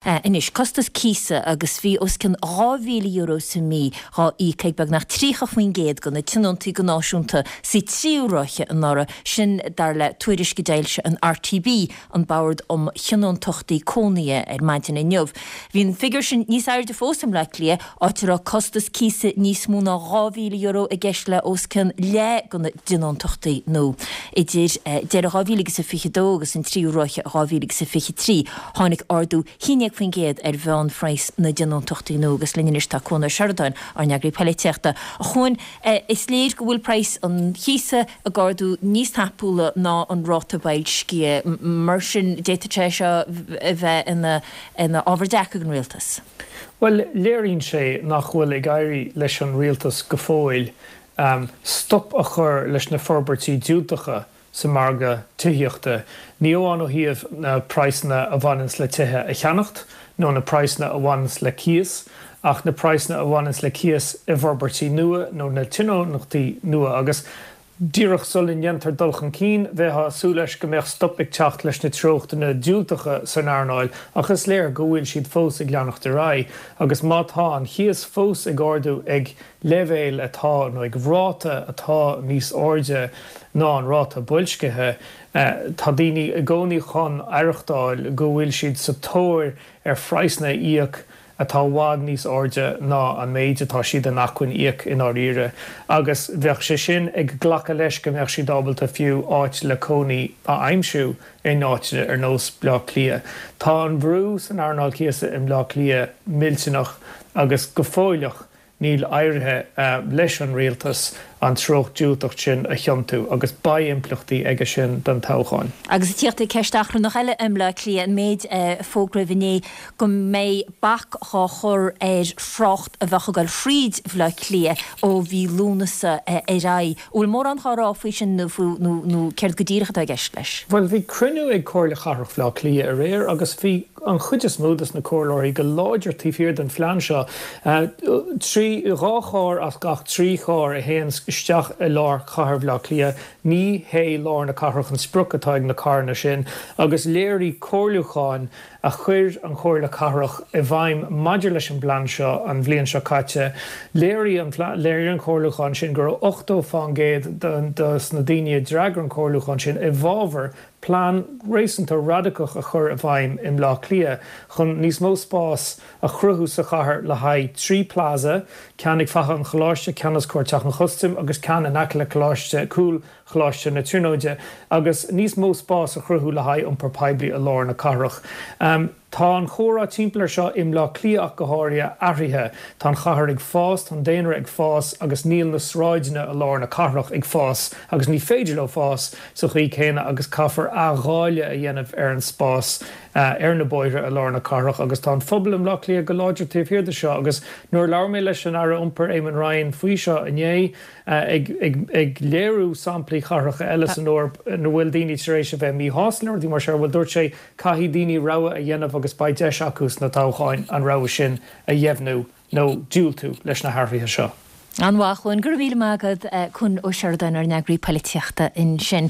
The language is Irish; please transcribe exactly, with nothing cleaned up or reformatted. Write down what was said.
Anois, costas cíosa agus bhí os cionn dhá mhíle euro sa mí dhá íoc ag beagnach tríocha faoin gcéad de na tionóntaí go náisiúnta sa tríú ráithe anuraidh, sin dar le tuairisc a d'fhoilsigh an R T B, an Bord um Thionóntachtaí Cónaithe, ar maidin inniu. Bhí an figiúr sin níos airde fós i mBleá Cliath, áit a raibh costas cíosa níos mó ná dhá mhíle euro i gceist le os cionn leath de na tionóntachtaí nua. Idir deireadh dhá mhíle agus a fiche dó agus an tríú ráithe dhá mhíle agus a fiche trí, tháinig ardú haon déag faoin gcéad ar mheánphraghas na dtionóntachtaí nua agus linn anois tá Cuan Ó Seireadáin, ár n-eagraí polaitíochta. A Chuain, is léir go bhfuil praghas an chíosa ag ardú níos tapúla ná an ráta boilscithe, mar sin d'fhéadfadh sé seo a bheith ina ina ábhar deacair don rialtas. Bhuel, léiríonn sé nach bhfuil ag éirí leis an rialtas go fóill stop a chur leis na forbairtí diúltacha sa margadh tithíochta, ní amháin ó thaobh na praghsanna a bhaineanns le tithe a cheannacht nó na praghsanna a bhaineanns le cíos, ach na praghsanna a bhaineanns le cíos i bhforbairtí nua nó na tionóntachtaí nua. Agus díreach sula ndéantar dul chun cinn, bheifeá ag súil leis go mbeadh stop ag teacht leis na treochtanna diúltacha san earnáil, ach is léir go bhfuil siad fós ag leanacht ar aghaidh. Agus má tá an cíos fós ag ardú ag leibhéal atá, nó ag ráta atá níos airde ná an ráta boilscithe, tá daoine i gcónaí chun aireachtáil go bhfuil siad sa tóir ar phraghsanna a íoc atá i bhfad níos airde ná an méid atá siad in acmhainn íoc i ndáiríre, agus bheadh sé sin ag glacadh leis go mbeadh siad ábalta fiú áit le cónaí a aimsiú in áiteanna ar nós Bleá Cliath. Tá an brú san earnáil cíosa i mBleá Cliath millteanach agus go fóilleach níl éirithe leis an rialtas an treocht diúltach sin a thiontú agus beidh impleachtaí aige sin don toghchán. Agus ag tíocht ag ceist achrannach eile i mBleá Cliath, an méid a fógraíodh inné go mbeidh bac dhá chur ar thrácht a bheadh ag dul thríd Bhleá Cliath ó mhí Lúnasa ar aghaidh. An bhfuil mórán dhá rá faoi sin nó nó céard go díreach atá i gceist leis? Bhuel, bhí cruinniú ag Comhairle Chathrach Bhaile Átha Cliath aréir agus bhí an chuid is mó dos na comhairleoirí go láidir taobh thiar den phlean seo. Trí, dhá charr as gach trí charr a théann isteach i lár chathair Bhaile Átha Cliath, ní hé lár na cathrach an sprioc atá ag na carranna sin agus léirigh comhairliúcháin a chuir an Chomhairle Cathrach i bhfeidhm maidir leis an bplean seo an bhliain seo caite, léirigh an léirigh an comhairliúchán sin go raibh ochtó faoin gcéad dos na daoine a d'fhreagair an comhairliúchán sin i bhfabhar plean réasúnta radacach a chur i bhfeidhm i mBleá Cliath chun níos mó spás a chruthú sa chathair le haghaidh trí plaza, ceann ag Faiche an Choláiste, ceann os comhair Teach an Chustaim agus ceann in aice le Coláiste cúl Choláiste na Tríonóide, agus níos mó spás a chruthú le haghaidh iompar poiblí i lár na cathrach. Tá an chomhrá timpeall ar seo i mBleá Cliath ach go háirithe athraithe. Tá an chathair ag fás, tá an daonra ag fás agus níl na sráideanna i lár na cathrach ag fás agus ní féidir leo fás sa chaoi céanna agus caithfear athdháileadh a dhéanamh ar an spás ar na bóithre i lár na cathrach agus tá an phobal i mBleá Cliath go láidir taobh thiar de seo agus nuair a labhair mé leis an Aire Iompair Eamon Ryan faoi seo inné ag ag léiriú samplaí chathracha eile san Eoraip ina bhfuil daoine tar éis a bheith míshásta le rudaí mar seo, bhuel dúirt sé caithfidh daoine rogha a dhéanamh agus beidh deis acu sna toghcháin an rogha sin a dheimhniú nó diúltú leis na hathruithe seo. An-mhaith, Cuan, go raibh míle maith agat, Cuan Ó Seireadáin, ár n-eagraí polaitíochta ansin.